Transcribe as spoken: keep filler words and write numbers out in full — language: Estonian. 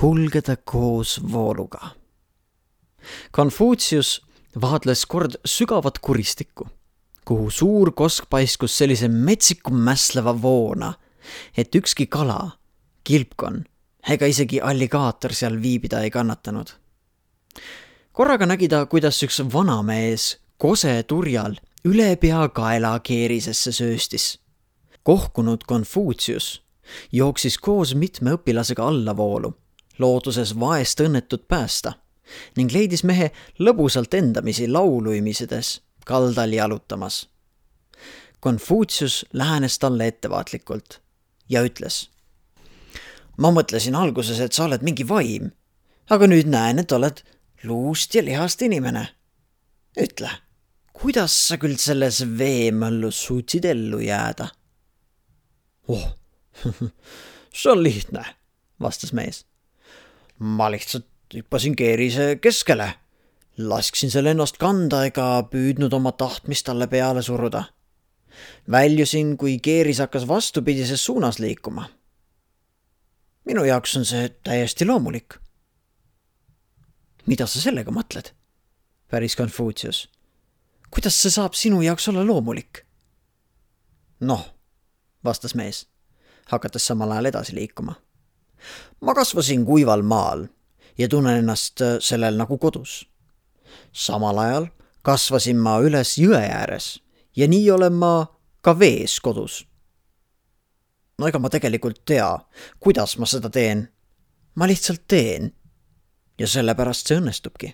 kulgeda koos vooluga. Konfutsius vaadles kord sügavat kuristikku, kuhu suur kosk paiskus sellise metsiku mässleva voona, et ükski kala, kilpkon ega isegi alligaator seal viibida ei kannatanud. Korraga nägi ta, kuidas üks vanamees kose turjal üle pea kaela keerisesse sööstis. Kohkunud Konfutsius jooksis koos mitme õpilasega allavoolu, looduses vaest õnnetut päästa ning leidis mehe lõbusalt endamisi lauluimisides kaldal jalutamas. Konfutsius lähenes talle ettevaatlikult ja ütles: ma mõtlesin alguses, et sa oled mingi vaim, aga nüüd näen, et oled luust ja lihast inimene. Ütle, kuidas sa küll selles veemõllus suutsid ellu jääda? Oh, see on lihtne, vastas mees. Ma lihtsalt hüppasin keerise keskele, lasksin selle ennast kanda ega püüdnud oma tahtmist talle peale suruda. Väljusin, kui keeris hakkas vastupidises suunas liikuma. Minu jaoks on see täiesti loomulik. Mida sa sellega mõtled? Päris Konfutsius. Kuidas see saab sinu jaoks olla loomulik? Noh, vastas mees, hakates samal ajal edasi liikuma. Ma kasvasin kuival maal ja tunnen ennast sellel nagu kodus. Samal ajal kasvasin ma üles jõe ääres ja nii olen ma ka vees kodus. No ega ma tegelikult tea, kuidas ma seda teen. Ma lihtsalt teen ja sellepärast see õnnestubki.